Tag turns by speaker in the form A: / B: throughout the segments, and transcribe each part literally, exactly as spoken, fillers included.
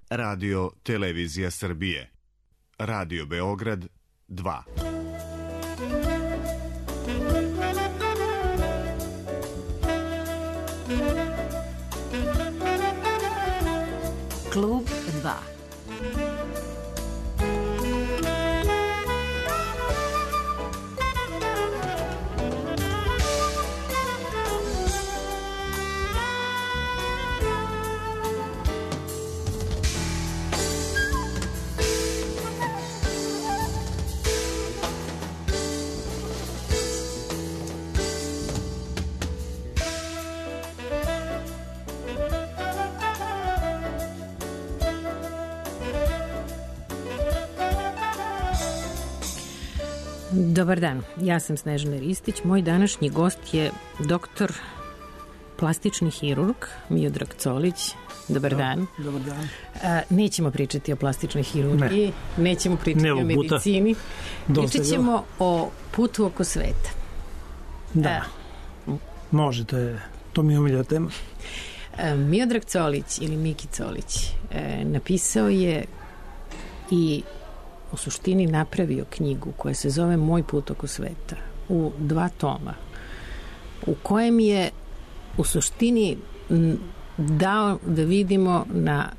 A: Radio Televizija Srbije. Radio Beograd dva.
B: Klub dva.
C: Dobar dan, ja sam Snežana Ristić. Moj današnji gost je doktor plastični hirurg Miodrag Colić. Dobar dan.
D: Dobar dan.
C: A, nećemo pričati o plastičnoj hirurgiji, ne. nećemo pričati ne, o medicini. Pričat ćemo o putu oko sveta.
D: Da, A, može, to, je, to mi je omiljena tema.
C: A, Miodrag Colić ili Miki Colić e, napisao je i u suštini napravio knjigu koja se zove Moj put oko sveta u dva toma, u kojem je u suštini dao da vidimo na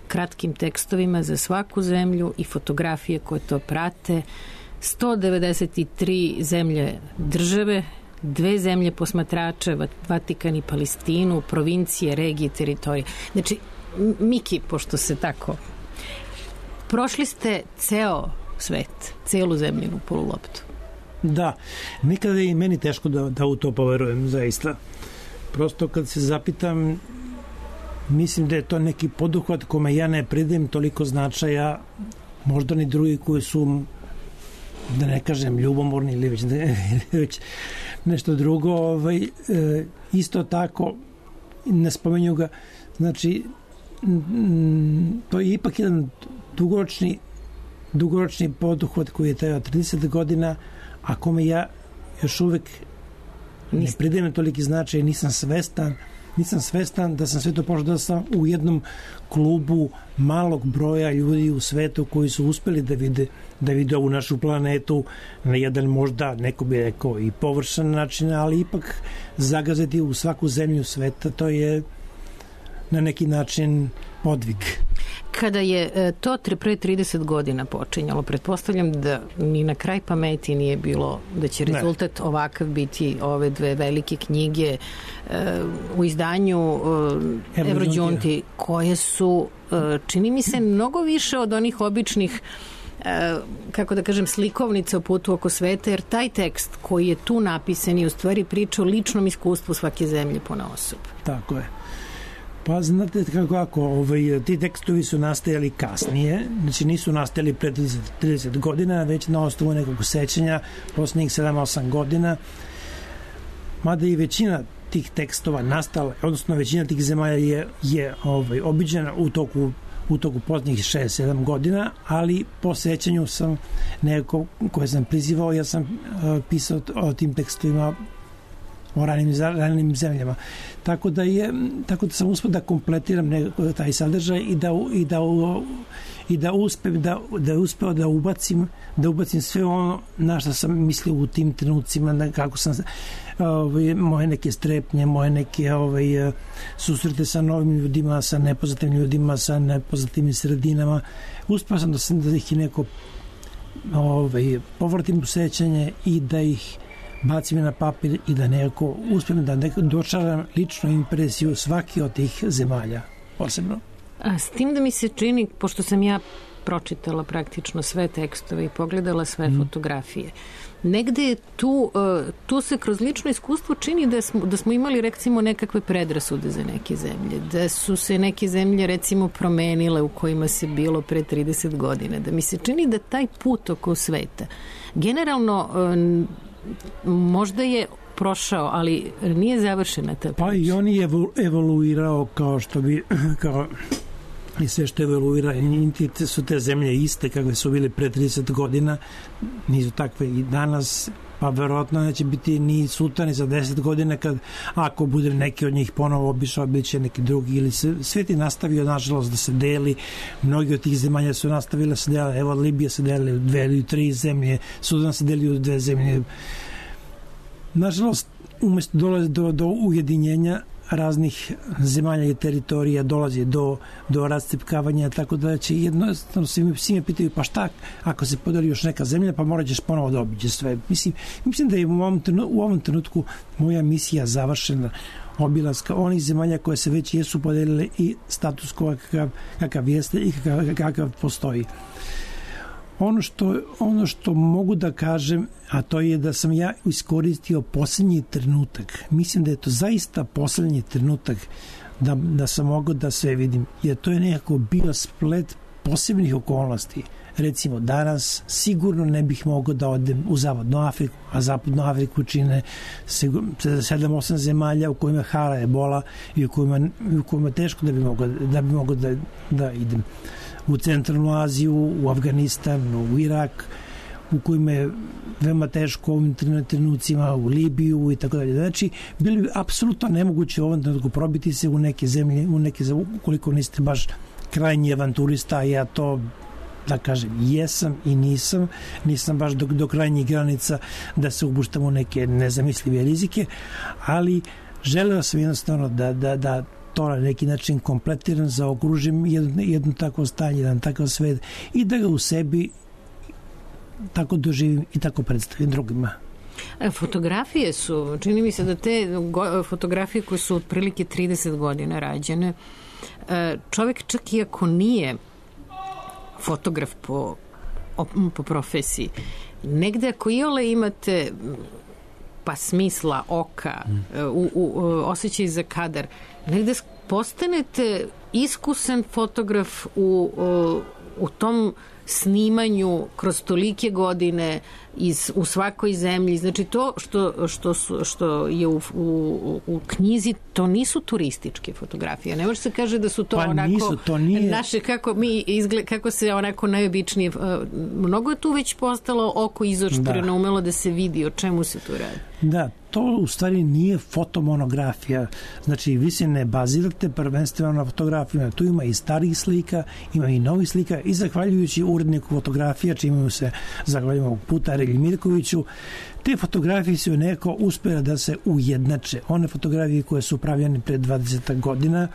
C: kratkim tekstovima za svaku zemlju i fotografije koje to prate sto devedeset tri zemlje države, dve zemlje posmatrača, Vatikan i Palestinu, provincije, regije, teritorije. Znači, Miki, pošto se tako prošli ste ceo svet, celu zemljinu poluloptu.
D: Da, nikada je i meni teško da, da u to poverujem, zaista. Prosto kad se zapitam, mislim da je to neki poduhvat kome ja ne pridajem toliko značaja, možda ni drugi koji su, da ne kažem, ljubomorni ili već, ne, već nešto drugo. Ovaj, e, isto tako, ne spomenju ga, znači, m, to je ipak jedan dugoročni, dugoročni poduhvat koji je trajao trideset godina, a kome ja još uvek ne pridajem toliki značaj, nisam svestan, nisam svestan da sam sve to počeo da sam u jednom klubu malog broja ljudi u svetu koji su uspeli da vide, da vide ovu našu planetu na jedan možda, neko bi rekao, i površan način, ali ipak zagaziti u svaku zemlju sveta, to je na neki način podvig.
C: Kada je to pre trideset godina počinjalo, pretpostavljam da ni na kraj pameti nije bilo da će rezultat ne. ovakav biti ove dve velike knjige uh, u izdanju uh, Evrođunti, koje su, uh, čini mi se, mnogo više od onih običnih uh, kako da kažem, slikovnica o putu oko sveta, jer taj tekst koji je tu napisan je u stvari priča o ličnom iskustvu svake zemlje ponaosob.
D: Tako je. Pa znate kako, ako ovaj, ti tekstovi su nastajali kasnije, znači nisu nastajali pre trideset godina, već na osnovu nekog sećanja poslednjih sedam osam godina, mada i većina tih tekstova nastala, odnosno većina tih zemalja je, je ovaj, obiđena u toku, u toku poslednjih šest sedam godina, ali po sećanju sam nekako koje sam prizivao, ja sam uh, pisao o tim tekstovima o ranim, ranim zemljama. Tako da je, tako da sam uspeo da kompletiram nekako taj sadržaj i da, i da, i da uspem da, da uspeo da ubacim, da ubacim sve ono na što sam mislio u tim trenucima, na kako sam ovaj, moje neke strepnje, moje neke ovaj, susrete sa novim ljudima, sa nepoznatim ljudima, sa nepoznatim sredinama. Uspeo sam da, sam da ih neko ovaj, povratim u sećanje i da ih bacim na papir i da nekako uspijem da nekako dočaram ličnu impresiju svaki od tih zemalja posebno.
C: A s tim da mi se čini, pošto sam ja pročitala praktično sve tekstove i pogledala sve mm. fotografije, negde je tu, tu se kroz lično iskustvo čini da smo, da smo imali recimo nekakve predrasude za neke zemlje, da su se neke zemlje recimo promenile u kojima se bilo pre trideset godina, da mi se čini da taj put oko sveta generalno možda je prošao, ali nije završena ta priča.
D: Pa i on je evoluirao kao što bi, kao i sve što evoluira, niti su te zemlje iste kakve su bile pre trideset godina, nisu takve i danas, pa verovatno neće biti ni sutra ni za deset godina kad, ako bude neki od njih ponovo obišao, bit će neki drugi, ili se, svet je nastavio nažalost da se deli, mnogi od tih zemalja su nastavile da se deli, evo Libija se deli u dve ili tri zemlje, Sudan se deli u dve zemlje. Nažalost, umesto dolazi do, do ujedinjenja raznih zemalja i teritorija, dolazi do, do rascipkavanja, tako da će jednostavno svi me, svi me pitaju, pa šta ako se podeli još neka zemlja, pa morat ćeš ponovo da obiđe sve. Mislim, mislim da je u ovom, trenutku, u ovom trenutku moja misija završena, obilaska onih zemalja koje se već jesu podelile i status kakav, kakav jeste i kakav, kakav postoji. Ono što, ono što mogu da kažem, a to je da sam ja iskoristio poslednji trenutak. Mislim da je to zaista poslednji trenutak da, da sam mogao da sve vidim. Jer to je nekako bio splet posebnih okolnosti. Recimo, danas sigurno ne bih mogao da odem u Zapadnu Afriku, a Zapadnu Afriku čine sedam osam zemalja u kojima hara ebola i u kojima, u kojima teško da bi mogao da, bi mogao da, da idem. U Centralnu Aziju, u Afganistan, u Irak, u kojima je veoma teško u ovim trenucima, u Libiju i tako dalje. Znači, bilo bi apsolutno nemoguće u ovom trenutku probiti se u neke zemlje, u neke zemlje, ukoliko niste baš krajnji avanturista, ja to, da kažem, jesam i nisam, nisam baš do, do krajnjih granica da se upuštam u neke nezamislive rizike, ali želeo sam jednostavno da, da, da to na neki način kompletiram, zaokružim jedno, jedno takvo stanje, jedan takav svet i da ga u sebi tako doživim i tako predstavim drugima.
C: Fotografije su, čini mi se da te fotografije koje su otprilike trideset godina rađene, čovjek čak i ako nije fotograf po, po profesiji, negde ako iole imate pa smisla oka, u, u, osjećaj za kadar, negde postanete iskusan fotograf u, u, u tom snimanju kroz tolike godine iz, u svakoj zemlji. Znači to što, što, su, što je u, u, u knjizi, to nisu turističke fotografije. Ne može se kaže da su to
D: pa
C: onako
D: nisu, to nije...
C: naše, kako, mi izgled, kako se onako najobičnije... Mnogo je tu već postalo oko izoštreno, da. Umelo da se vidi o čemu se tu radi.
D: Da, to u stvari nije fotomonografija. Znači, vi se ne bazirate prvenstveno na fotografijama. Tu ima i starih slika, ima i novih slika i zahvaljujući uredniku fotografija, čime se zahvaljujemo puta Relji Mirkoviću, te fotografije su neko uspjela da se ujednače. One fotografije koje su pravljene pre dvadeset godina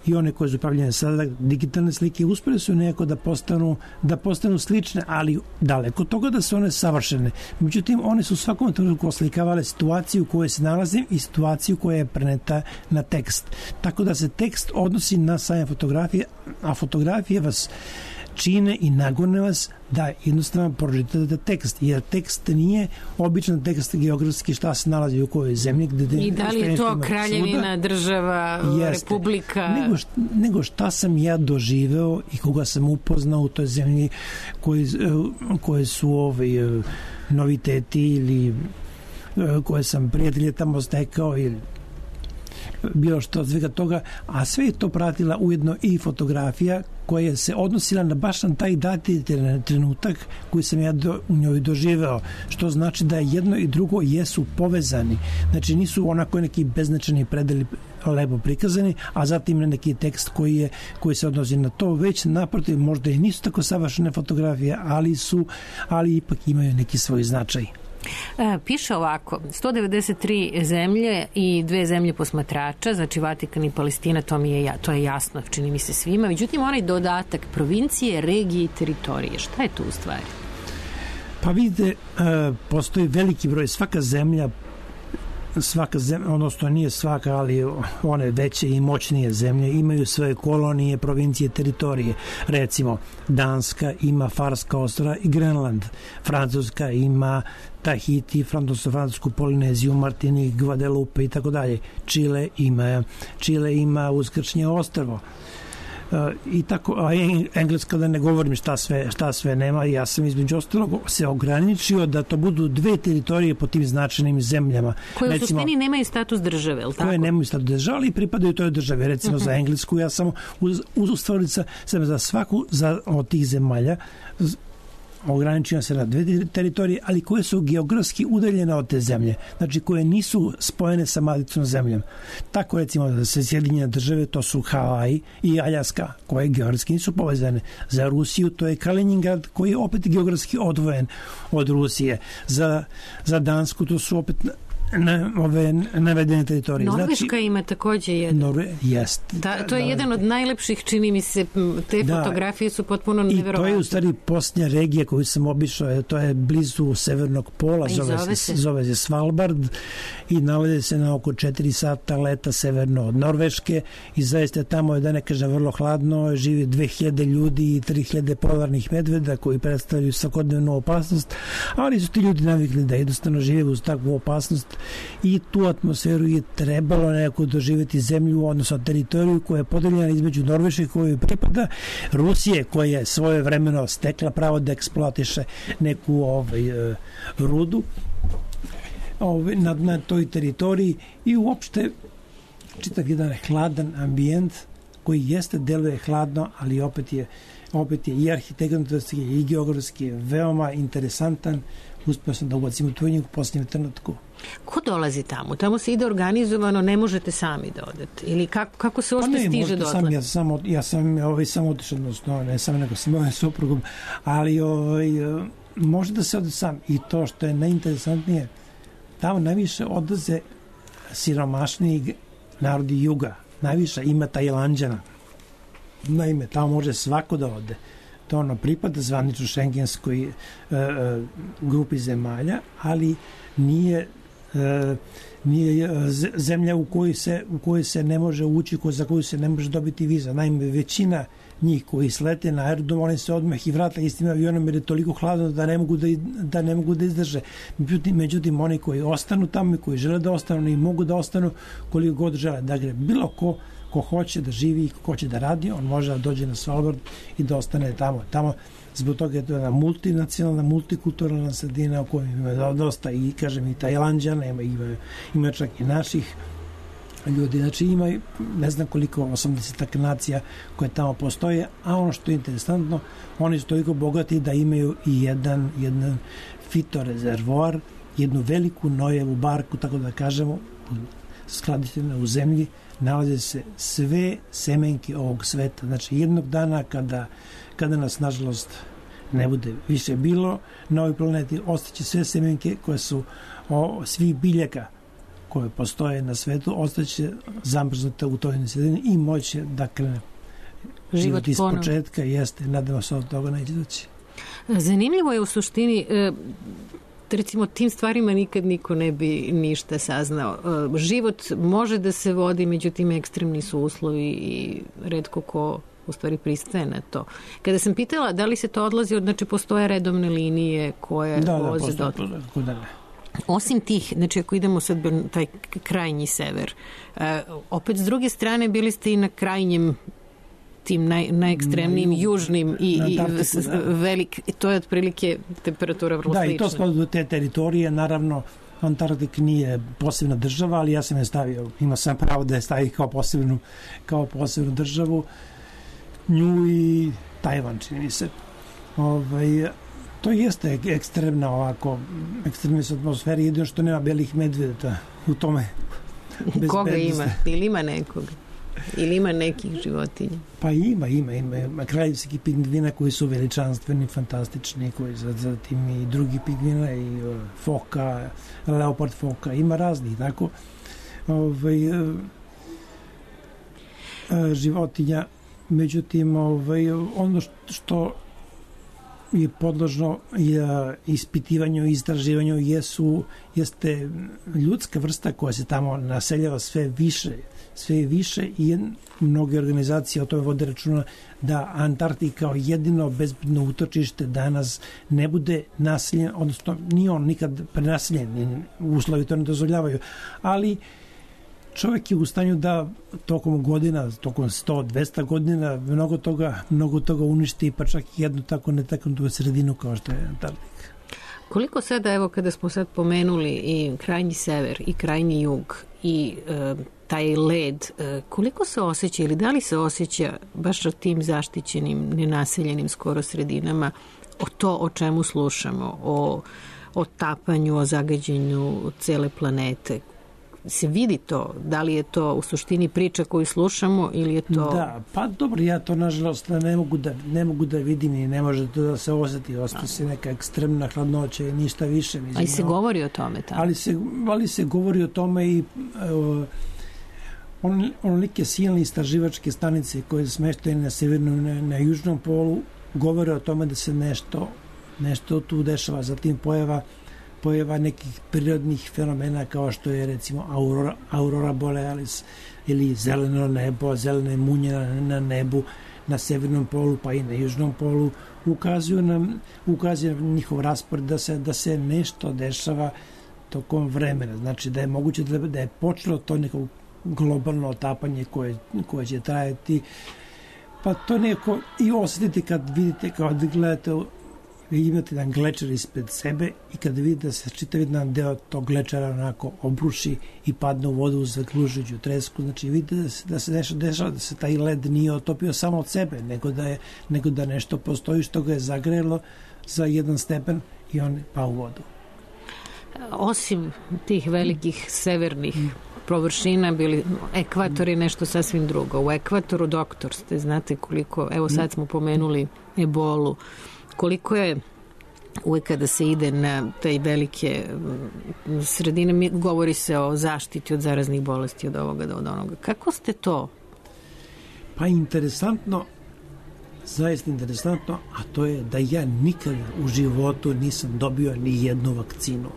D: i one koje su pravljene sada, digitalne slike, uspjeli su neko da postanu, da postanu slične, ali daleko od toga da su one savršene. Međutim, one su u svakom trenutku oslikavale situaciju u kojoj se nalazim i situaciju koja je preneta na tekst. Tako da se tekst odnosi na same fotografije, a fotografije vas čine i nagone vas da jednostavno pročitate tekst, jer tekst nije običan tekst geografski šta se nalazi u kojoj zemlji. Gde
C: I da li je to kraljevina, država, jeste, republika?
D: Nego šta, nego šta sam ja doživeo i koga sam upoznao u toj zemlji koje, koje su ovaj, noviteti ili koje sam prijatelje tamo stekao ili bilo što od svega toga, a sve je to pratila ujedno i fotografija koja se odnosila na baš na taj dati trenutak koji sam ja do, u njoj doživeo, što znači da jedno i drugo jesu povezani. Znači nisu onako neki beznačajni predeli lepo prikazani, a zatim neki tekst koji, je, koji se odnosi na to, već naprotiv možda i nisu tako savršene fotografije, ali su, ali ipak imaju neki svoj značaj.
C: Piše ovako, sto devedeset tri zemlje i dve zemlje posmatrača, znači Vatikan i Palestina, to, mi je, to je jasno, čini mi se svima. Međutim, onaj dodatak provincije, regije i teritorije, šta je tu u stvari?
D: Pa vidite, postoji veliki broj, svaka zemlja svaka zemlja, odnosno nije svaka, ali one veće i moćnije zemlje imaju svoje kolonije, provincije, teritorije. Recimo, Danska ima Farska ostrva i Grenland. Francuska ima Tahiti, francusku Polineziju, Martinik, Guadeloupe i tako dalje. Čile ima, Čile ima Uskršnje ostrvo. Uh, i tako, a Engleska da ne govorim šta sve, šta sve nema. Ja sam između ostalog se ograničio da to budu dve teritorije po tim značajnim zemljama.
C: Koje u suštini nemaju status države, je li tako?
D: Koje nemaju status države, ali pripadaju toj državi. Recimo uh-huh. za Englesku, ja sam uz, uz stvari sam za svaku za, od tih zemalja ograničeno se na dve teritorije, ali koje su geografski udaljene od te zemlje, znači koje nisu spojene sa maticom zemljom. Tako recimo da se Sjedinjene države, to su Havaj i Aljaska, koje geografski nisu povezane. Za Rusiju to je Kaliningrad, koji je opet geografski odvojen od Rusije. Za, za Dansku to su opet na ove navedene teritorije.
C: Norveška
D: znači,
C: ima takođe jedan.
D: Norve, jest.
C: Da, to je da, jedan od najlepših, čini mi se, te da, fotografije su potpuno neverovatne.
D: I to je u stvari posljednja regija koju sam obišao, to je blizu severnog pola, zove, zove, se, zove se Svalbard i nalazi se na oko četiri sata leta severno od Norveške i zaista tamo je, da ne kažem, vrlo hladno, živi dve hiljade ljudi i tri hiljade polarnih medveda koji predstavljaju svakodnevnu opasnost, ali su ti ljudi navikli da jednostavno žive uz takvu opasnost i tu atmosferu je trebalo nekako doživjeti zemlju, odnosno teritoriju koja je podeljena između Norveške kojoj pripada, Rusije koja je svoje vremeno stekla pravo da eksploatiše neku ovaj, rudu ovaj, na, na toj teritoriji i uopšte čitav jedan hladan ambijent koji jeste, deluje hladno, ali opet je, opet je i arhitektonski i geografski veoma interesantan. Uspio sam da ubacim u tvojnju u posljednjem trenutku.
C: Ko dolazi tamo? Tamo se ide organizovano, ne možete sami da odete? Ili kako, kako se uopšte stiže do odle?
D: Ja sam, ja sam ovaj, samo otišao, odnosno ne sam, nego sam ovaj suprugom, ali ovaj, može da se ode sam. I to što je najinteresantnije, tamo najviše odlaze siromašniji narodi juga. Najviše ima Tajlanđana. Naime, tamo može svako da ode. To ono pripada zvanično šengenskoj e, e, grupi zemalja, ali nije e, nije zemlja u kojoj se u kojoj se ne može ući, za koju se ne može dobiti viza. Naime, većina njih koji slete na aerodrom, oni se odmah i vrata istim avionom jer je toliko hladno da ne mogu da, da ne mogu da izdrže. Međutim, međutim, oni koji ostanu tamo i koji žele da ostanu i mogu da ostanu koliko god žele. Dakle, bilo ko ko hoće da živi i ko hoće da radi, on može da dođe na Svalbard i da ostane tamo. Tamo zbog toga je to jedna multinacionalna, multikulturalna sredina u kojoj ima dosta i, kažem, i Tajlanđana, ima, ima, ima čak i naših ljudi. Znači ima, ne znam koliko, osamdeset nacija koje tamo postoje, a ono što je interesantno, oni su toliko bogati da imaju i jedan, jedan fitorezervoar, jednu veliku nojevu barku, tako da kažemo, skladištena u zemlji, nalaze se sve semenke ovog sveta. Znači, jednog dana kada, kada nas, nažalost, ne bude više bilo na ovoj planeti, ostaće sve semenke koje su o, svih biljaka koje postoje na svetu, ostaće zamrznute u toj sredini i moće da krene život iz početka. Jeste, nadamo se od toga neće doći.
C: Zanimljivo je u suštini, recimo, tim stvarima nikad niko ne bi ništa saznao. Život može da se vodi, međutim ekstremni su uslovi i retko ko u stvari pristaje na to. Kada sam pitala da li se to odlazi, znači postoje redovne linije koje
D: da,
C: voze
D: da,
C: do...
D: Da, da,
C: Osim tih, znači ako idemo sad taj krajnji sever, opet s druge strane bili ste i na krajnjem tim naj, najekstremnijim na južnim i, i velik, to je otprilike temperatura vrlo
D: da,
C: slična.
D: Da, i to spada do te teritorije, naravno Antarktik nije posebna država, ali ja sam je stavio, ima sam pravo da je stavio kao posebnu, kao posebnu državu, nju i Tajvan, čini mi se. Ovaj, to jeste ekstremna ovako, ekstremne su atmosfere, jedino što nema belih medveda u tome.
C: Koga ima? Ili ima nekoga? Ili ima nekih životinja?
D: Pa ima, ima, ima. Kraljevski pingvina koji su veličanstveni, fantastični, koji zatim i drugi pingvina i foka, leopard foka, ima raznih, tako. Ovaj, životinja, međutim, ovaj, ono što je podložno ispitivanju i istraživanju jesu, jeste ljudska vrsta koja se tamo naseljava sve više sve više i mnoge organizacije o tome vode računa da Antarktik kao jedino bezbedno utočište danas ne bude naseljen, odnosno nije on nikad prenaseljen, uslovi to ne dozvoljavaju, ali čovjek je u stanju da tokom godina, tokom sto do dvesta godina mnogo toga, mnogo toga uništi, pa čak i jednu tako netaknutu sredinu kao što je Antarktik.
C: Koliko sada, evo kada smo sad pomenuli i krajnji sever i krajnji jug i e, taj led, e, koliko se osjeća ili da li se osjeća baš o tim zaštićenim, nenaseljenim skoro sredinama, o to o čemu slušamo, o, o tapanju, o zagađenju cele planete? Se vidi to? Da li je to u suštini priča koju slušamo ili je to...
D: Da, pa dobro, ja to nažalost ne mogu da, ne mogu da vidim i ne može to da se osjeti. Ostaje se neka ekstremna hladnoća i ništa više. Mislim,
C: ali se no, govori o tome tamo.
D: Ali se, ali se govori o tome i uh, on, onolike silne istraživačke stanice koje smeštaju na severnom, na, na južnom polu, govore o tome da se nešto, nešto tu dešava. Zatim pojava pojava nekih prirodnih fenomena kao što je recimo aurora, aurora borealis ili zeleno nebo, zelene munje na, na nebu na severnom polu pa i na južnom polu ukazuju nam, ukazuju na njihov raspored da se, da se nešto dešava tokom vremena. Znači da je moguće da, da je počelo to neko globalno otapanje koje, koje će trajati, pa to neko i osjetite kad vidite, kad gledate, vi imate jedan glečar ispred sebe i kada vidite da se čitav jedan deo tog glečara onako obruši i padne u vodu uz zakružujuću tresku, znači vidite da se, da se dešava, dešava da se taj led nije otopio samo od sebe, nego da, je, nego da nešto postoji što ga je zagrelo za jedan stepen i on pa u vodu.
C: Osim tih velikih severnih površina, bili ekvator je nešto sasvim drugo. U ekvatoru doktor ste, znate koliko, evo sad smo pomenuli ebolu, koliko je uvek kada se ide na taj velike sredine, govori se o zaštiti od zaraznih bolesti, od ovoga do od onoga. Kako ste to?
D: Pa interesantno, zaista interesantno, a to je da ja nikad u životu nisam dobio ni jednu vakcinu.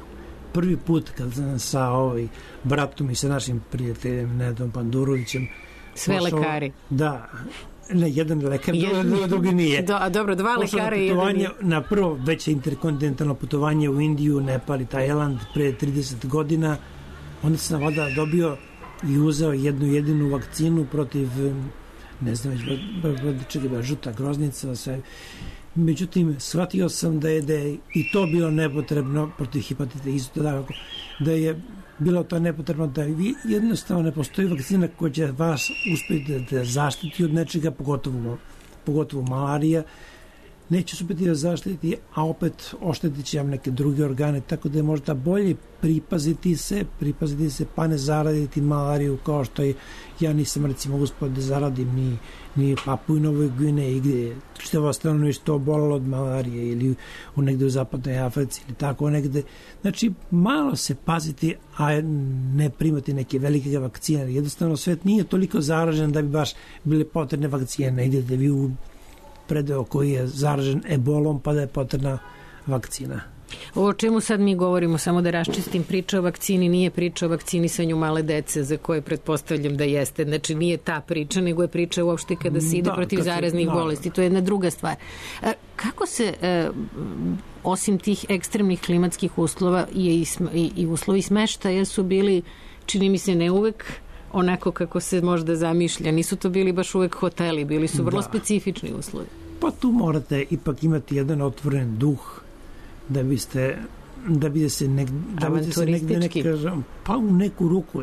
D: Prvi put kad sam sa ovaj bratom i sa našim prijateljem Nedom Pandurovićem
C: sve pošao, lekari.
D: Da, ne, jedan lekar, jedan, drugi nije.
C: Do, a dobro, dva lekara i jedan nije.
D: Na prvo veće interkontinentalno putovanje u Indiju, Nepal i Tajland pre trideset godina. Onda sam vada dobio i uzeo jednu jedinu vakcinu protiv, ne znam, već čega, žuta groznica, sve. Međutim, shvatio sam da je, da je i to bilo nepotrebno protiv hepatita, isto tako, da je bilo to nepotrebno, da vi jednostavno ne postoji vakcina koja će vas uspjeti da zaštiti od nečega, pogotovo, pogotovo malarija, neće se uspjeti da zaštiti, a opet oštetit će vam neke druge organe, tako da je možda bolje pripaziti se, pripaziti se, pa ne zaraditi malariju, kao što je, ja nisam recimo uspio da zaradim ni, ni Papu i Novoj Gvineji, gdje je čitavo stanovništvo obolelo od malarije, ili u negde u zapadnoj Africi, ili tako negde. Znači, malo se paziti, a ne primati neke velike vakcine. Jednostavno, svet nije toliko zaražen da bi baš bile potrebne vakcine. Ne idete vi u predeo koji je zaražen ebolom, pa da je potrebna vakcina.
C: O čemu sad mi govorimo, samo da raščistim, priča o vakcini nije priča o vakcinisanju male dece, za koje pretpostavljam da jeste. Znači nije ta priča, nego je priča uopšte kada se ide da, protiv zaraznih se, bolesti. To je jedna druga stvar. Kako se, osim tih ekstremnih klimatskih uslova i, i, i uslovi smeštaja su bili, čini mi se ne uvek, onako kako se možda zamišlja. Nisu to bili baš uvek hoteli, bili su vrlo da. specifični uslovi.
D: Pa tu morate ipak imati jedan otvoren duh da biste da bi se nek, da bi se negde neka, pa u neku ruku,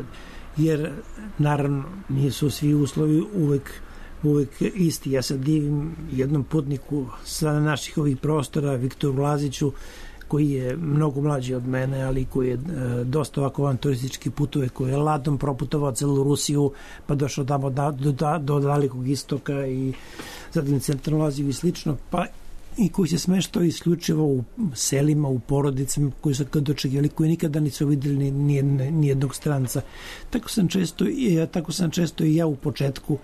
D: jer naravno nisu svi uslovi uvek uvek isti. Ja se divim jednom putniku sa naših ovih prostora, Viktoru Laziću, koji je mnogo mlađi od mene, ali koji je e, dosta ovako avanturistički putuje, koji je ladom proputovao celu Rusiju, pa došao tamo da, do, do, do dalekog istoka i zatim centralnu Aziju i slično, pa i koji se smeštao isključivo u selima, u porodicama koji su kad dočekivali, koji nikada nisu videli ni, ni, ni jednog stranca. Tako sam često, ja, tako sam često i ja u početku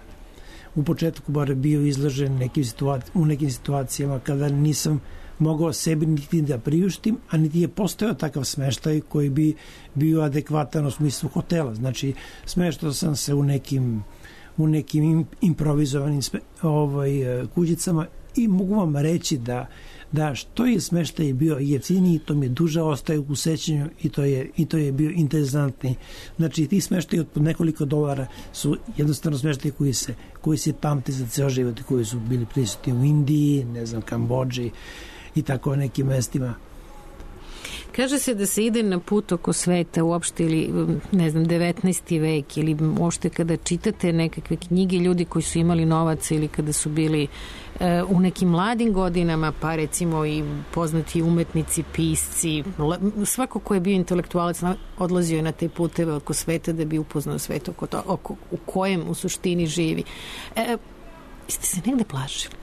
D: u početku bar bio izložen nekim situaci, u nekim situacijama kada nisam mogao sebi niti da priuštim, a niti je postojao takav smeštaj koji bi bio adekvatan u smislu hotela. Znači, smeštao sam se u nekim u nekim improvizovanim sme, ovaj, kućicama i mogu vam reći da, da što je smeštaj bio jeftiniji, to mi je duže ostaje u sećanju i to je, i to je bio interesantni. Znači, ti smeštaj od nekoliko dolara su jednostavno smeštaj koji se, koji se pamti za ceo život, koji su bili prisutni u Indiji, ne znam, Kambodži i tako nekim mestima.
C: Kaže se da se ide na put oko sveta uopšte ili, ne znam, devetnaesti vek ili uopšte kada čitate nekakve knjige ljudi koji su imali novaca ili kada su bili e, u nekim mladim godinama, pa recimo i poznati umetnici, pisci, svako ko je bio intelektualac odlazio je na te puteve oko sveta da bi upoznao svet oko to, oko, u kojem u suštini živi. E, jeste se negde plašili?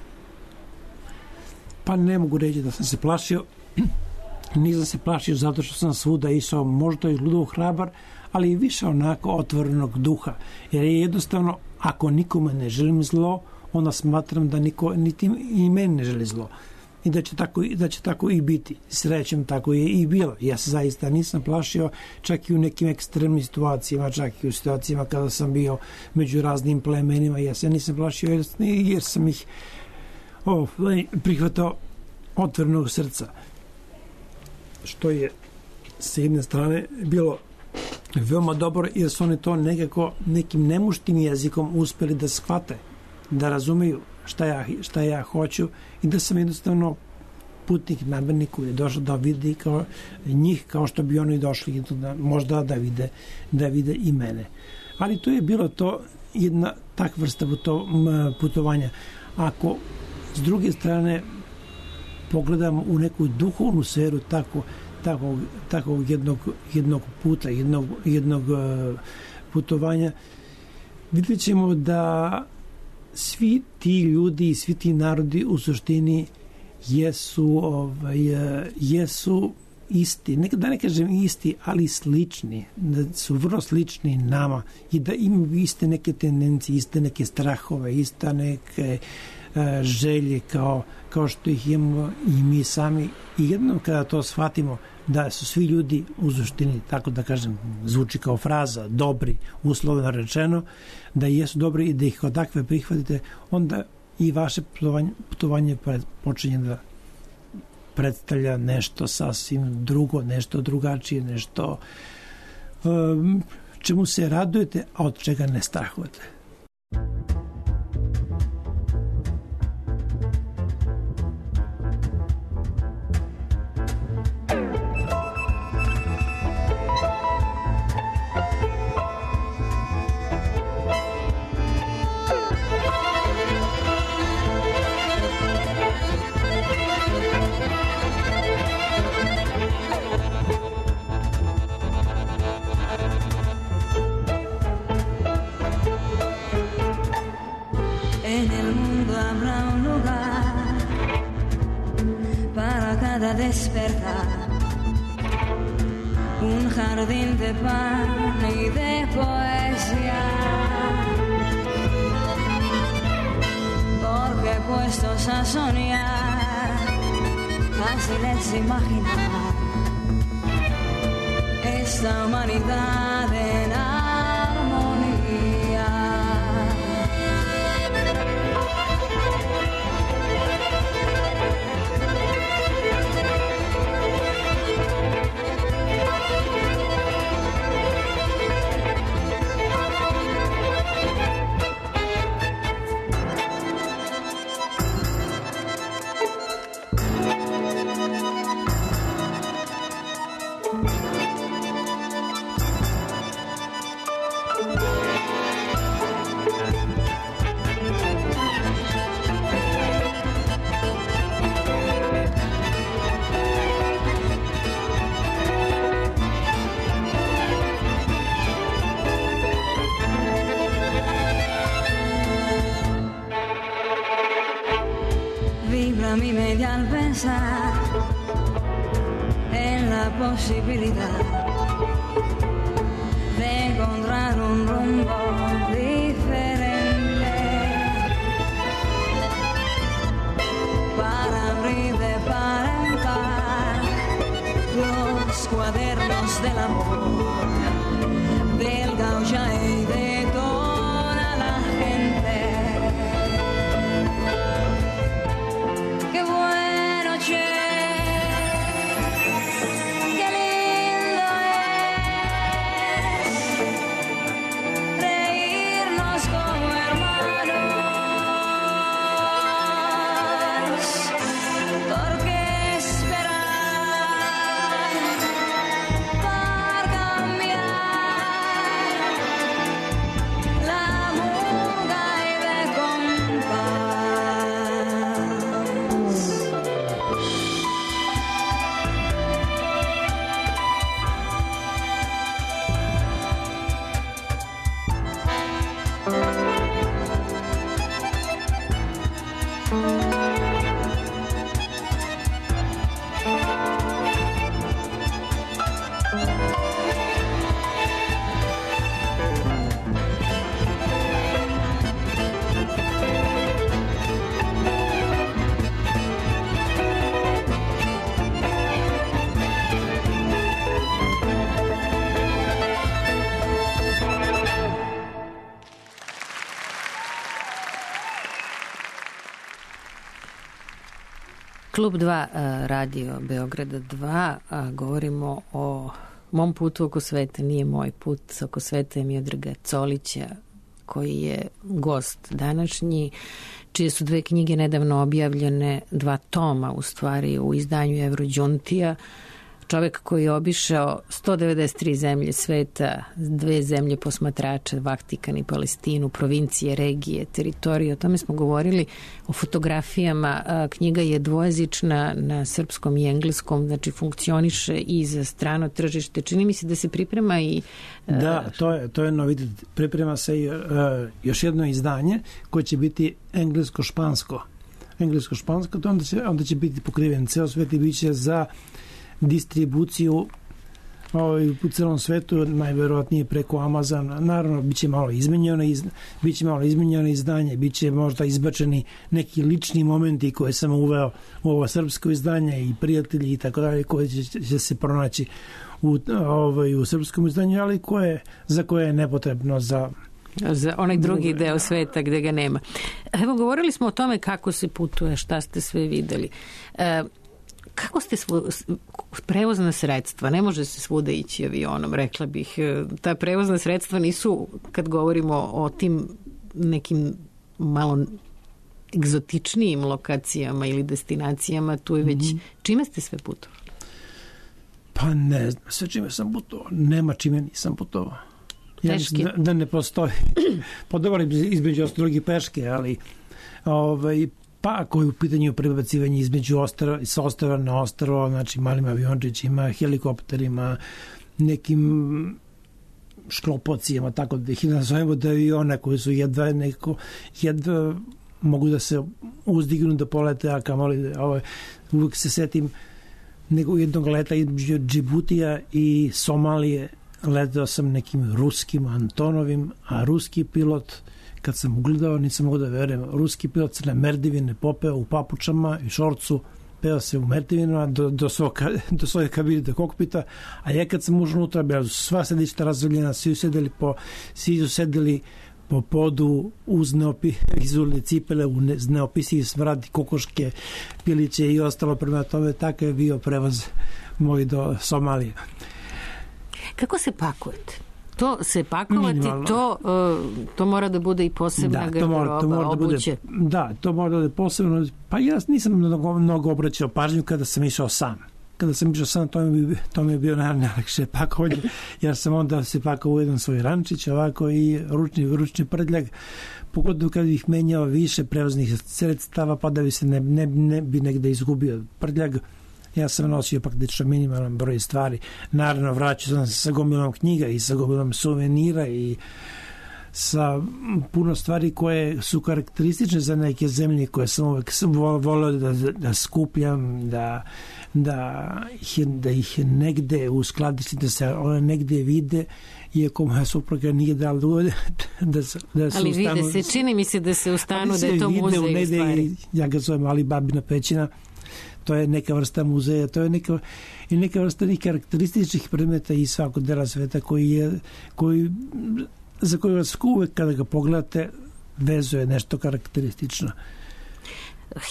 D: Pa ne mogu reći da sam se plašio. Nisam se plašio zato što sam svuda išao, možda i ludo hrabar, ali i više onako otvorenog duha. Jer je jednostavno, ako nikome ne želim zlo, onda smatram da niko, niti i meni ne želi zlo. I da će tako, da će tako i biti. Srećem, tako je i bilo. Ja se zaista nisam plašio, čak i u nekim ekstremnim situacijama, čak i u situacijama kada sam bio među raznim plemenima. Ja se nisam plašio jer, jer sam ih oh, prihvatao otvorenog srca. Što je s jedne strane bilo veoma dobro jer su oni to nekako nekim nemuštim jezikom uspeli da shvate, da razumeju šta ja, šta ja hoću i da sam jednostavno putnik namernik koji je došao da vidi kao njih kao što bi oni došli da, možda da vide, da vide i mene. Ali to je bilo to jedna takva vrsta putovanja. Ako s druge strane pogledam u neku duhovnu sferu tako, tako, tako jednog, jednog puta, jednog, jednog uh, putovanja, vidjet ćemo da svi ti ljudi i svi ti narodi u suštini jesu, ovaj, jesu isti, ne, da ne kažem isti, ali slični, da su vrlo slični nama i da imaju iste neke tendencije, iste neke strahove, iste neke želje kao, kao što ih imamo i mi sami i jednom kada to shvatimo da su svi ljudi u suštini, tako da kažem, zvuči kao fraza, dobri, uslovno rečeno, da jesu dobri i da ih od takve prihvatite, onda i vaše putovanje, putovanje počinje da predstavlja nešto sasvim drugo, nešto drugačije, nešto um, čemu se radujete, a od čega ne strahujete.
B: Despertar un jardín de pan y de poesía, porque puestos a soñar fácil es imaginar esta humanidad en armonía. Mi mente al pensar en la posibilidad de encontrar un rumbo diferente para abrir de par en par los cuadernos del amor del gaucha y de toda la gente. Porque esperar
C: Klub dva, Radio Beograda dva, govorimo o mom putu oko sveta, nije moj put oko sveta, je Miodraga Colića, koji je gost današnji, čije su dve knjige nedavno objavljene, dva toma u stvari u izdanju Evrođuntija. Čovek koji je obišao sto devedeset tri zemlje sveta, dve zemlje posmatrača, Vatikan i Palestinu, provincije, regije, teritorije. O tome smo govorili, o fotografijama. Knjiga je dvojezična na srpskom i engleskom, znači funkcioniše i za strano tržište. Čini mi se da se priprema i...
D: Da, to je, to je novitet. Priprema se i uh, još jedno izdanje koje će biti englesko-špansko. Englesko-špansko, to onda će, onda će biti pokriven ceo svet i bit će za distribuciju ovaj, u celom svetu, najverovatnije preko Amazona. Naravno, bit će malo izmenjeno, iz, bit će malo izmenjeno izdanje, bit će možda izbačeni neki lični momenti koje sam uveo u ovo srpsko izdanje i prijatelji i tako dalje, koje će, će se pronaći u, ovaj, u srpskom izdanju, ali koje, za koje je nepotrebno za
C: za onaj drugi deo sveta gde ga nema. Evo, govorili smo o tome kako se putuje, šta ste sve videli. E, Kako ste svo, prevozna sredstva? Ne može se svuda ići avionom, rekla bih. Ta prevozna sredstva nisu, kad govorimo o tim nekim malo egzotičnijim lokacijama ili destinacijama, tu je već... Mm-hmm. Čime ste sve putovali?
D: Pa ne znam, sve čime sam putovao. Nema čime nisam putovao. Ja
C: Teški?
D: Da, da ne postoji. Podobali između ostalog peške, ali ovaj, pa ako je u pitanju prebacivanje između ostrava, sa ostrava na ostrava, znači malim aviončićima, helikopterima, nekim šklopocijama, tako da ih nazovemo, da aviona koji su jedva neko, jedva mogu da se uzdignu da polete, a kamoli, ovaj, uvijek se setim nego jednog leta između Džibutija i Somalije, letao sam nekim ruskim Antonovim, a ruski pilot, kad sam ugledao, nisam mogu da verujem, ruski pilot se na merdivine popeo u papučama i šorcu, peo se u merdivina do, do, svoga, do svoje kabine, do kokpita, a ja kad sam ušao unutra, bila su sva sedišta razvoljena, svi su sedeli po, svi su sedeli po podu uz neopi, izulne cipele, u ne, neopisivi smrad, kokoške, piliće i ostalo. Prema tome, tako je bio prevoz moj do Somalije.
C: Kako se pakujete? To se pakovati, to, uh, to mora da bude i posebna da, garderoba, obuće.
D: Da, bude, da, to mora da bude posebno. Pa ja nisam mnogo, mnogo obraćao pažnju kada sam išao sam. Kada sam išao sam, to mi, to mi je bio najlakše pakovanje, jer sam onda se pakovao u jedan svoj rančić, ovako i ručni, ručni prtljag, pogotovo kada bih menjao više prevoznih sredstava, pa da bi se ne, ne, ne bi negde izgubio prtljag. Ja sam nosio praktično minimalan broj stvari. Naravno, vraćao sam se sa gomilom knjiga i sa gomilom suvenira i sa puno stvari koje su karakteristične za neke zemlje koje sam uvek volio da, da skupljam, da, da, ih, da ih negde uskladištim, da se one negde vide, iako moja supruga nije dala da, da, da se
C: ali
D: ustanu.
C: Ali vide se, čini mi se da se ustanu da je to muzej u stvari.
D: Ja ga zovem Ali Babina pećina. To je neka vrsta muzeja, to je neka, i neka vrsta nekih karakterističnih predmeta iz svakog dela sveta koji je, koji, za koji vas uvek kada ga pogledate vezuje nešto karakteristično.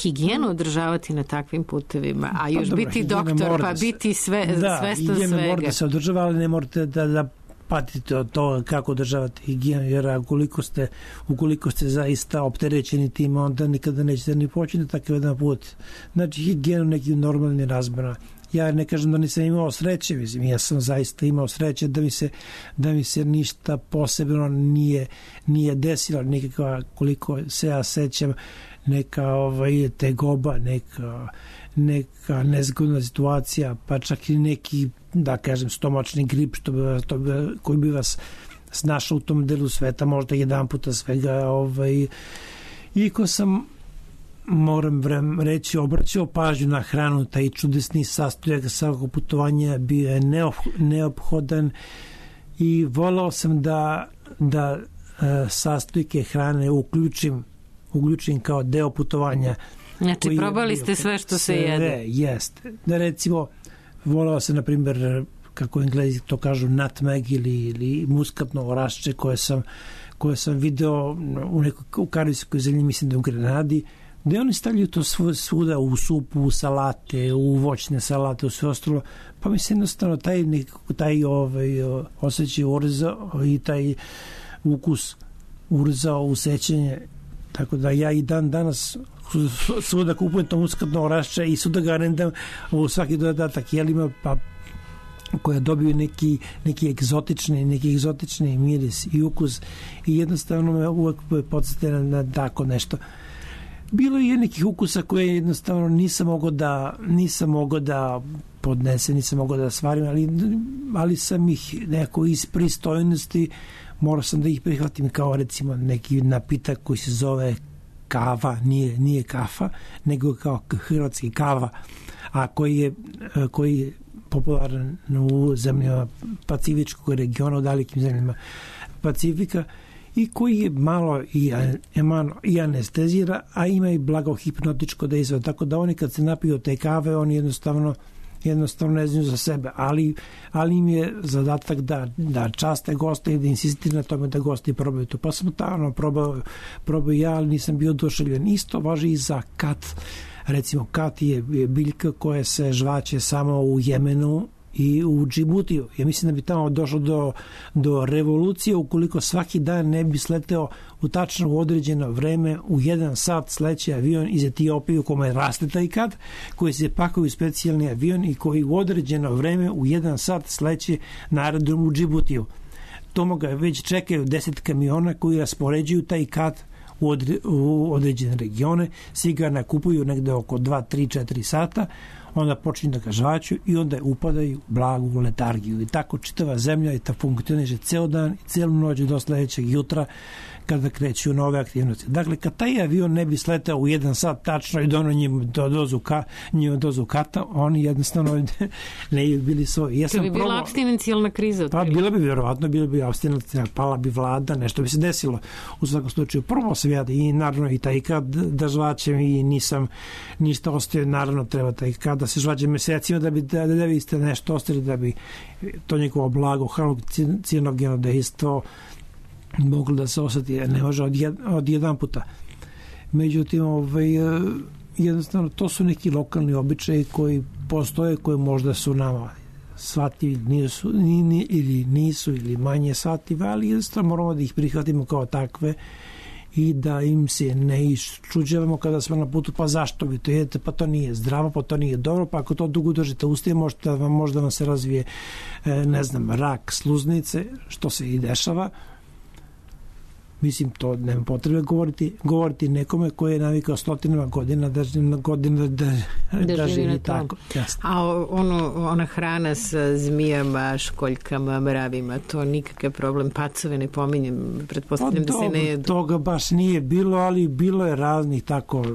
C: Higijenu održavati na takvim putevima, a još pa, dobro, biti doktor, pa biti sve,
D: da,
C: svestan svega. Da,
D: higijena mora da se održava, ali ne morate da, da patite od toga kako održavate higijenu, jer ukoliko ste, ukoliko ste zaista opterećeni tim, onda nikada nećete ni početi takav jedan put. Znači, higijenu nekim normalnim razmerama. Ja ne kažem da nisam imao sreće, mislim, ja sam zaista imao sreće da mi se, da mi se ništa posebno nije, nije desilo, nikakva, koliko se ja sećam, neka ovaj, tegoba, neka, neka nezgodna situacija, pa čak i neki, da kažem, stomačni grip što bi, to bi, koji bi vas snašao u tom delu sveta, možda jedan puta svega. Ovaj, i ko sam, moram vrem reći, obraćao pažnju na hranu, taj čudesni sastojak svakog putovanja bio je neophodan i volao sam da, da sastojke hrane uključim uključim kao deo putovanja.
C: Znači, probali ste sve što se jede.
D: Sve, jeste. Da recimo, volao sam, na primjer, kako Englezi to kažu, nutmeg ili, ili muskatno orašče koje sam, koje sam video u nekoj u Karibskoj zemlji, mislim da u Grenadi, gde oni stavljaju to svuda u supu, u salate, u voćne salate, u sve ostalo, pa mi se jednostavno taj, taj ovaj, osjećaj urza i taj ukus urzao u sećanje, tako da ja i dan danas svuda kupujem to muskatno orašče i svuda ga rendam u svaki dodatak jelima, pa koja dobiju neki, neki egzotični neki egzotični miris i ukus i jednostavno me uvek podsjeti na tako nešto. Bilo je nekih ukusa koje jednostavno nisam mogao da nisam mogao da podnesem, nisam mogao da svarim, ali, ali sam ih nekako iz pristojnosti morao sam da ih prihvatim, kao recimo neki napitak koji se zove kava, nije, nije kafa, nego kao hrvatski kava, a koji je, koji je popularan u zemljama Pacifičkog regiona, u dalekim zemljama Pacifika, i koji je malo i, i anestezira, a ima i blago hipnotičko dejstvo, tako da oni kad se napiju te kave, oni jednostavno jednostavno ne znaju za sebe, ali, ali im je zadatak da, da časte goste i da insistiraju na tome da gosti probaju to. Pa sam tamo probao, probao ja, ali nisam bio oduševljen. Isto važi i za kat. Recimo, kat je biljka koja se žvaće samo u Jemenu i u Džibutiju. Ja mislim da bi tamo došlo do, do revolucije ukoliko svaki dan ne bi sleteo u tačno u određeno vreme u jedan sat sleće avion iz Etiopije u kome raste taj kat, koji se pakuje u specijalni avion i koji u određeno vreme u jedan sat sleće na aerodrom u Džibutiju. Tomo ga već čekaju deset kamiona koji raspoređuju taj kat u, odre, u određene regione, svi ga nakupuju negde oko dva, tri, četiri sata, onda počinju da ga žvaću i onda upadaju blagu letargiju. I tako čitava zemlja i ta funkcioniše ceo dan i celu noć do sledećeg jutra kada kreću nove aktivnosti. Dakle, kad taj avion ne bi sletao u jedan sat tačno i dono njima do dozu, ka, njima dozu kata, oni jednostavno ne bi bili svoji. Ja
C: to bi bila probao, abstinencijalna kriza.
D: Pa bila bi vjerovatno, bila bi abstinencijalna, pala bi vlada, nešto bi se desilo. U svakom slučaju, prvo sam ja i naravno i taj kad da žvaćem i nisam ništa ostavio, naravno treba taj kad da se žvaće mesecima da bi da, da bi ste nešto ostavili, da bi to njegovo blago halucinogeno dejstvo moglo da se osjeti, ne može od, jed, od jedan puta. Međutim, ovaj, jednostavno, to su neki lokalni običaji koji postoje, koji možda su nama shvatljivi, nisu, ni, ni, ili nisu, ili manje shvatljivi, ali jednostavno moramo da ih prihvatimo kao takve i da im se ne iščuđavamo kada smo na putu, pa zašto vi to jedete, pa to nije zdravo, pa to nije dobro, pa ako to dugo držite uste, možda vam, možda vam se razvije, ne znam, rak sluznice, što se i dešava. Mislim, to nema potrebe govoriti, govoriti nekome koji je navikao stotinama godina da, godina da, da, da živi tako. Jasno.
C: A ono, ona hrana sa zmijama, školjkama, mravima, to nikakav problem, pacove ne pominjem, pretpostavljam pa, da se ne jedu.
D: Toga baš nije bilo, ali bilo je raznih tako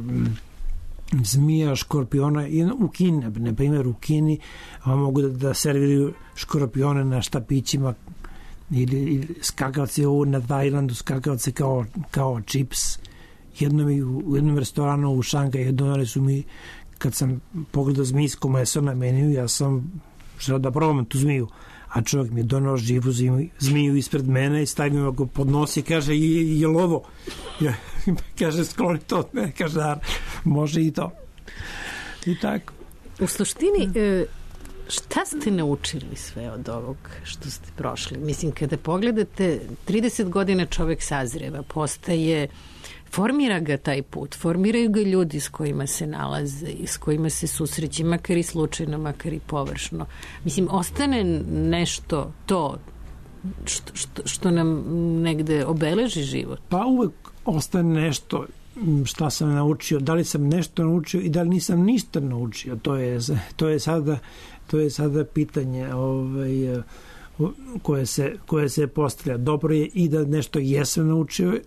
D: zmija, škorpiona. U Kini, na primjer u Kini, mogu da, da serviraju škorpione na štapićima ili, ili skakavce u, na Tajlandu, skakavce kao, kao čips. Jednom i u, u jednom restoranu u Šangaju donali su mi, kad sam pogledao zmijsko meso na meniju, ja sam želeo da probam tu zmiju, a čovjek mi je donao živu zmiju, zmiju ispred mene i stavio ga pod nos i kaže, je, je li ovo? Ja, kaže, skloni to od mene, kaže, da, može i to. I tako.
C: U suštini, e, šta ste naučili sve od ovog što ste prošli? Mislim, kada pogledate, trideset godina čovjek sazreva, postaje, formira ga taj put, formiraju ga ljudi s kojima se nalaze i s kojima se susreće, makar i slučajno, makar i površno. Mislim, ostane nešto to što, što, što nam negde obeleži život.
D: Pa uvek ostane nešto šta sam naučio, da li sam nešto naučio i da li nisam ništa naučio, to je, to je sada to je sada pitanje ovaj, koje se, koje se postavlja. Dobro je i da nešto jesam naučio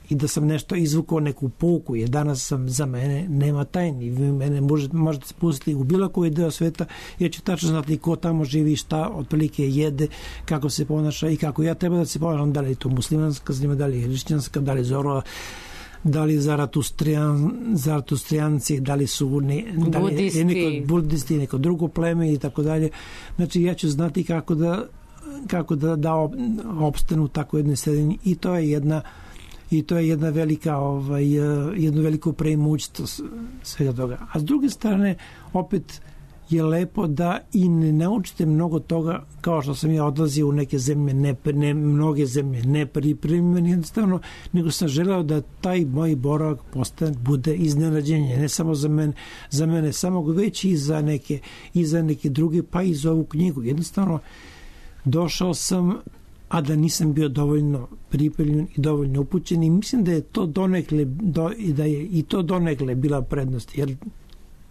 D: i da sam nešto izvukao, neku pouku, jer danas sam za mene nema tajni. Vi mene možete, možete spustiti u bilo koji deo sveta, jer ću tačno znati ko tamo živi, šta otprilike jede, kako se ponaša i kako ja treba da se ponašam, da li je to muslimanska zemlja, da li je hrišćanska, da li je Zoro, da li Zaratustrijan, Zaratustrijanci, da li su ne, da li
C: budisti.
D: Neko budisti, neko drugo pleme i tako dalje. Znači ja ću znati kako da kako da, da opstanu tako jednoj sredini i to je jedna i to je jedna velika ovaj, jedno veliko preimoćstvo svega toga. A s druge strane opet je lepo da i ne naučite mnogo toga, kao što sam ja odlazio u neke zemlje, ne, ne mnoge zemlje nepripremljene jednostavno, nego sam želeo da taj moj boravak postane, bude iznenađenje, ne samo za mene, za mene samog, već i za neke, i za neke druge, pa i za ovu knjigu. Jednostavno, došao sam, a da nisam bio dovoljno pripremljen i dovoljno upućen, i mislim da je to donekle, do, da je i to donekle bila prednost, jer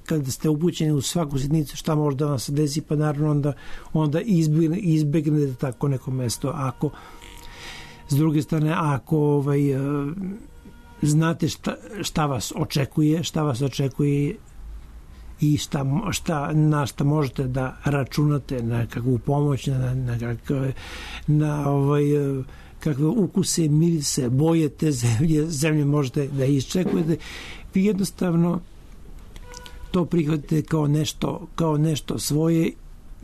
D: kada ste upućeni u svaku sitnicu šta može da vam se desi, pa naravno onda, onda izbjegne, izbjegnete tako neko mesto. Ako, s druge strane, ako ovaj, znate šta, šta vas očekuje, šta vas očekuje i šta, šta, na šta možete da računate, na kakvu pomoć, na, na, kakve, na ovaj, kakve ukuse, mirise, boje te zemlje, zemlje možete da iščekujete. Vi jednostavno to prihvatite kao nešto, kao nešto svoje,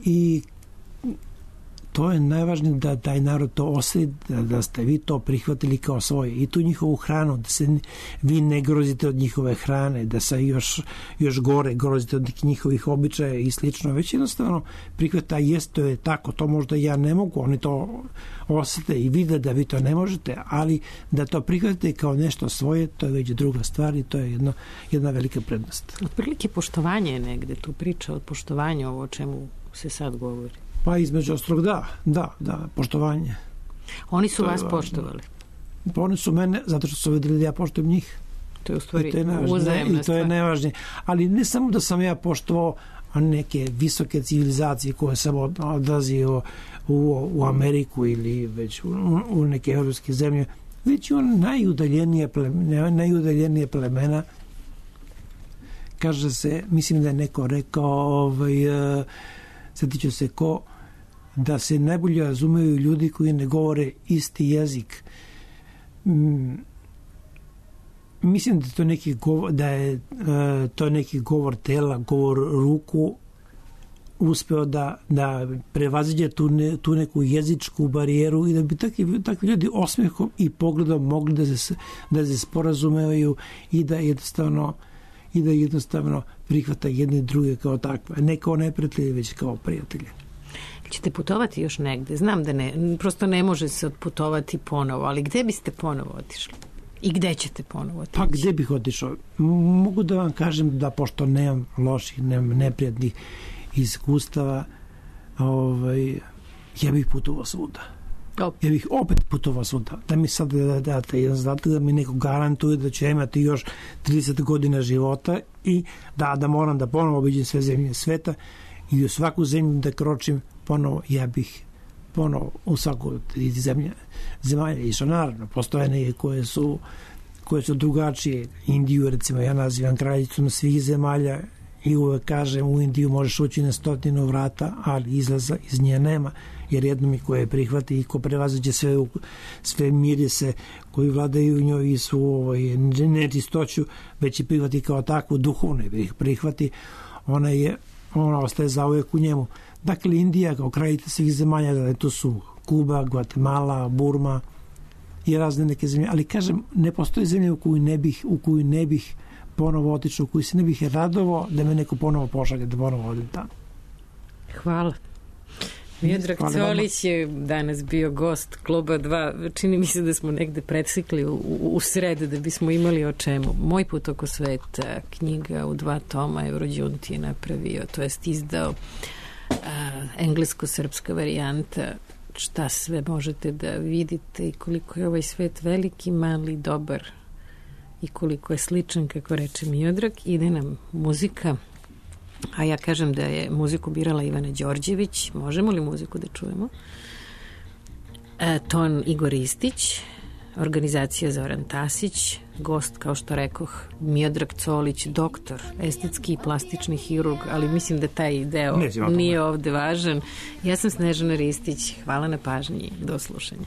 D: i to je najvažnije, da taj narod to osjeti, da, da ste vi to prihvatili kao svoje, i tu njihovu hranu, da se vi ne grozite od njihove hrane, da se još, još gore grozite od njihovih običaja i slično, već jednostavno prihvata, jest, to je tako, to možda ja ne mogu, oni to osjete i vide da vi to ne možete, ali da to prihvatite kao nešto svoje, to je već druga stvar, i to je jedno, jedna velika prednost.
C: Otprilike poštovanje je negde tu priča od poštovanja, ovo o čemu se sad govori.
D: Pa između ostrog, da, da, da, poštovanje.
C: Oni su vas poštovali?
D: Pa oni su mene, zato što su vidjeli da ja poštujem njih.
C: To je u stvari
D: uzajemna stvar. I to je najvažnije. Ali ne samo da sam ja poštovao neke visoke civilizacije koje sam odlazio u, u Ameriku ili već u, u neke evropske zemlje, već i on najudaljenije plemena, najudaljenije plemena. Kaže se, mislim da je neko rekao, ovaj, sjetiću se ko, da se najbolje razumeju ljudi koji ne govore isti jezik. Mm, mislim da to neki govor, da je uh, to neki govor tela, govor ruku uspeo da, da prevaziđe tu, ne, tu neku jezičku barijeru, i da bi takvi, takvi ljudi osmehom i pogledom mogli da se, da se sporazumevaju i da jednostavno i da jednostavno prihvata jedne druge kao takve, ne kao neprijatelje, već kao prijatelje.
C: Ćete putovati još negde? Znam da ne, prosto ne može se odputovati ponovo, ali gde biste ponovo otišli? I gde ćete ponovo otići?
D: Pa gde bih otišao? Mogu da vam kažem da, pošto nemam loših, nemam neprijatnih iskustava, ovaj, ja bih putovao svuda. Ja bih opet putovao svuda. Da mi sad da date jedan zadatak, da mi neko garantuje da će imati još trideset godina života i da, da moram da ponovo obiđem sve zemlje sveta i u svaku zemlju da kročim ponovo, ja bih ponovo u svaku zemlje, zemalja išao. Naravno, postoje neke koje su, koje su drugačije. Indiju, recimo, ja nazivam kraljicom svih zemalja i uvek kažem, u Indiju možeš ući na stotinu vrata, ali izlaza iz nje nema, jer jedno mi koje prihvati i ko prevaziđe sve, sve mirise koji vladaju u njoj i su ovaj, nečistoću, već i prihvati kao takvu, duhovne ih prihvati, ona je, ona ostaje zauvek u njemu. Dakle, Indija kao kraljica svih zemalja, da to su Kuba, Gvatemala, Burma i razne neke zemlje, ali kažem, ne postoji zemlja u koju ne bih, u koju ne bih ponovo otišao, u koju se ne bih radovao da me neko ponovo pošalje, da ponovo odim tamo.
C: Hvala. Miodrag Colić je danas bio gost Kluba dva. Čini mi se da smo negde presikli u, u sred da bismo imali o čemu. Moj put oko sveta, knjiga u dva toma, Eurođunti je napravio, to jest izdao a, englesko-srpska varijanta, šta sve možete da vidite i koliko je ovaj svet veliki, mali, dobar i koliko je sličan, kako reče Miodrag. Ide nam muzika. A ja kažem da je muziku birala Ivana Đorđević. Možemo li muziku da čujemo? E, ton Igor Istić, organizacija Zoran Tasić, gost, kao što rekoh, Miodrag Colić, doktor, estetski i plastični hirurg, ali mislim da taj deo nije ovde važan. Ja sam Snežana Ristić. Hvala na pažnji. Do slušanja.